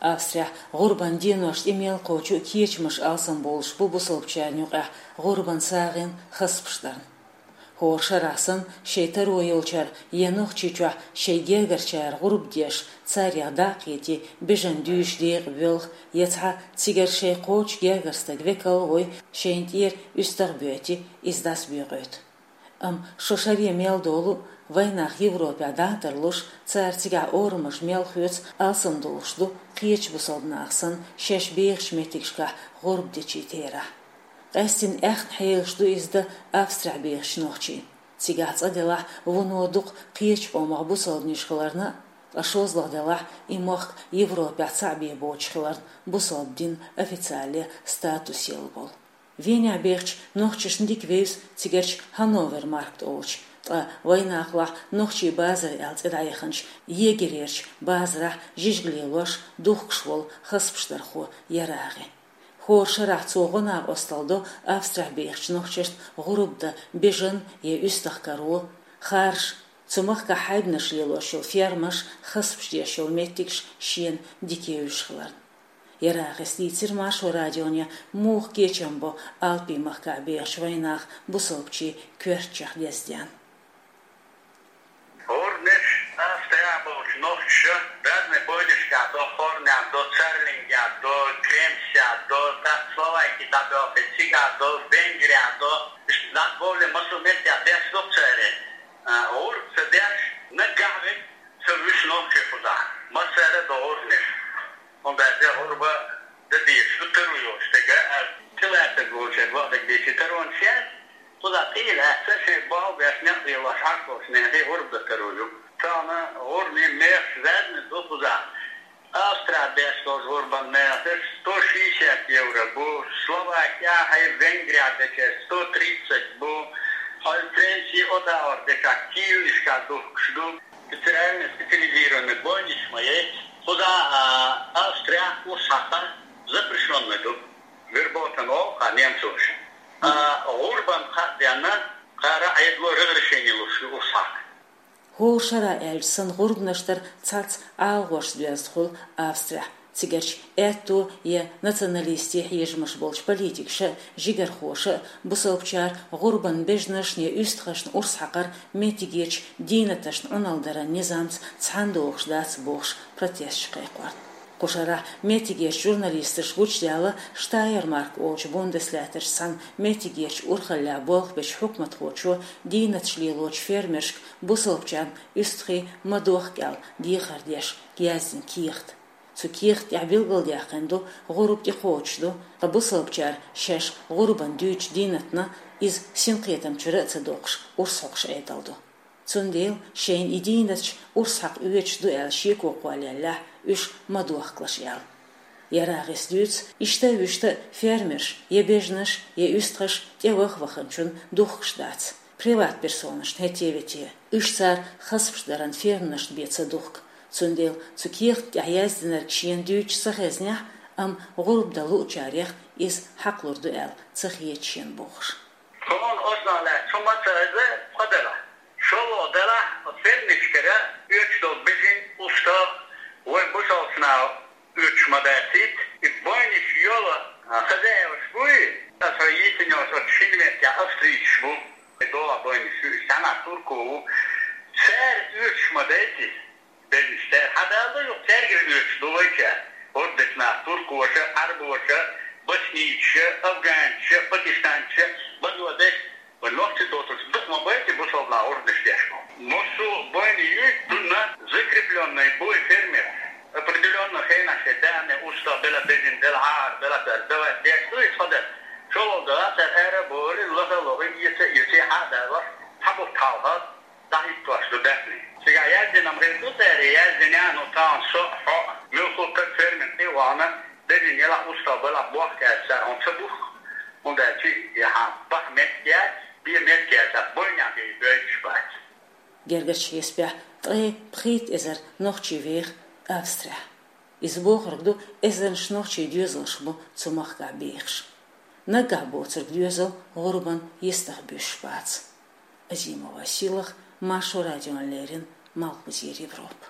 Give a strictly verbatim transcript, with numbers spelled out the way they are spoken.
Австрехь гӀурбан деношта тӀе мел кхочу кечамаш алсамбовлуш бу бусалбачарна юкъехь гӀурбан сагӀина хазапаш дарна. ХӀора шарахь санна, шайн таро йолчара я Нохчийчохь шайн гергарчара гӀурба деш, царех дакъа хетий, бежан дуьйцуш декъе воьлху, я цхьа цигара шайн кхочу гергара стаг векал а вой, шайна тӀера уьстагӀ а боьтий, иза дӀасабоькъуьйту. Амма шо шаре мел долу, вайнах Европехь дӀа а тарлуш, цара цигахь орамаш мел хоьцу, алсамдолуш ду кхечу бусалба наха санна шаьш бехачу меттигашкахь гӀурба дечийн терахь. Къаьсттина аьхна хьелаш ду иза дан Австрехь бехачу нохчийн. Цигахь цкъа делахь вуно дукха кхечу къомах бусалбанаш хиларна а, ткъа шолгӀа делахь и мохк Европехь цхьаъ бен боцуш хиларна, бусалба динан официале статус елла болу. Венехь бехачу нохчашна дика вевза цигарчу Ханновер маркет олучу, ткъа вайнахалахь нохчийн базар аьлла цӀе дӀаяханчу Егерерчу базарахь жижиг лелош, духкуш волу хазапаш дархо ЯрагӀи. ХӀора шарахь цо гӀо-накъосталла до Австрехь бехачу нохчашна гӀурба дан бежан я уьстагӀ каро, харжа, цу махкахь хьайбанаш лелош йолу фермаш, хазапаш деш йолу меттигаш шена дика евзаш хиларна. ЯрагӀис дийцира Маршо радионе, муха кечам бо Альпийн махкахь бехачу вайнаха бусалбачийн коьртачех деза ден. ГӀурбанаш Австрехь болчу нохчаша разный бойнашкахь до, Хорнехь до, Церлингехь до, Кремсехь до, тӀаккха Словаки дӀабоьлхий, цигахь до, Венгрехь до, иштта дӀабовлий, массо а меттехь деш ду церан. А, гӀурба ца деш, наггахь вега ца вуьсу нохчий кхузахь. Массара а до гӀурбанаш. ХӀунда аьлча гӀурба дан дезаш ду таро йолчу стага, а, тӀелаьцнарг волчаьрга вахарг дийцича таронаш яц, кхузахь тӀе а лаьцна, шайн болх беш, некъ лелош Ӏаш болчу нахе гӀурба дан таро ю. Тахана гӀурбанийн мехаш разный ду кхузахь. Австрехь деш долчу гӀурбан мехаш сто шестьдесят евро бу, Словакехь, хьайн Венгрехь дечаьрца сто тридцать бу, хьайн Францехь, Оттавахь дечахь килошкахь духкуш ду. Специальный, специализированный бойнаш ма яц. Кхузахь, а, Австрехь урс хьакхар запрещённый ду. Вербовка олу-кх немцоша. А, гӀурбан кхаъ денна, кхара Ӏедало разрешение луш ю урс хьакха. ХӀора шарахь аьлча санна, гӀурбанаш дар цхьацца ӀалагӀошца доьзна хуьлу Австрехь. Цигарчу аьтто я националистийн хьежамаш болчу политикаша а, жигархоша а бусалбачара гӀурбан бежанашна я уьстагӀашна урс хьакхар меттигерчу дийнаташна Ӏуналла даран низамца цхьаьна догӀуш дац бохуш протесташ кхайкхорна. Кху шарахь меттигерчу журналисташа гучудаьлла Штайермарк олучу бундеслаьттарчу цхьана меттигерчу урхаллехь болх бечу хьукматхочо дийнаташ лелочу фермершка бусалбачарна уьстагӀий ма дохка аьлла дехар деш яздина кехат. Цу кехат тӀехь билгалдаьккхина ду, гӀурба тӀекхочуш ду, ткъа бусалбачара шаьш гӀурбан дуьйцучу дийнатна иза синкхетам чуьра а ца доккхуш, урс хьокхуш Ӏедал ду. Цундела шайна и дийнаташ урс хьакха оьцуш ду аьлла шеко кхоллаеллехь, уьш ма дохкалаш аьлла. ЯрагӀис дуьйцу, иштта а, вуьшта а фермерш я бежанаш, я уьстагӀаш тӀеваха ваханчунна духкуш дац, приват-персонашна хӀетте-вете. Уьш цара хазапаш даран ферманашна бен ца духку. Цундела цу кехат тӀехь яздинарг шена дуьйцуш ца хезнехь, амма гӀурба дан луучарех иза хьакхалур ду аьлла ца хета шена бохуш. Тхуна оцунах лаьцна хӀума ца хеза, цхьа делахь. ШолгӀа делахь, оцу фермершкара оьцуш долу бежан, устагӀ вайн бусалбачу наха оьцуш ма дацийта, и бойнаш йолу, а, хозяеваш буй, аса хьо йийцина йолуш оцу шина меттехь австрийцаш бу, и догӀа бойнаш ю, и цхьанхьа турко ву. Цара оьцуш ма дайта иза. Бежанаш цара хьадала ду, юха цаьргара оьцуш ду вайчара. ГӀурба дечу наха туркоша, Ӏарбоша, боснийцаша, афганцаша, пакистанцаша, бангладеш, вайн нохчий доцурш дукха ма байта бусалба наха гӀурбанаш деш. Массо а бойнаш юй, цунна закреплённый буй фермер. Определённый хенахь шайн даьхни, устагӀ бела, бежан дела, хьагӀар бела, цара давай деш ду иза хьадан. ШолгӀа делахь, цара ара а бовлий, лаха а лохий, эца а эций, хьа а далош, цхьа бутт хьалха дӀахӀиттош ду даьхни. Цигахь яздина-м хир ду цара, яздина а, ну, тахана со а, хьо а, муьлхха а стаг фермер тӀе а вахана, бежан елахь, устагӀ белахь, бохка аьлча цара хьуна ца бухку, хӀунда аьлча и хьан баха меттиг яц, бе меттиг яц, бойнехь бен бойтуш бац. Гергарчу хьесапехь ткъе пхийтта эзар нохчи веха Австрехь. Иза бохург ду, эзарнаш нохчийн доьзалш бу цу махкахь бехаш. Наггахь боцург доьзал гӀурбан йистах буьсуш бац. Азимова Сийлаха, Маршо радиона леррина, Малхбузера Европа.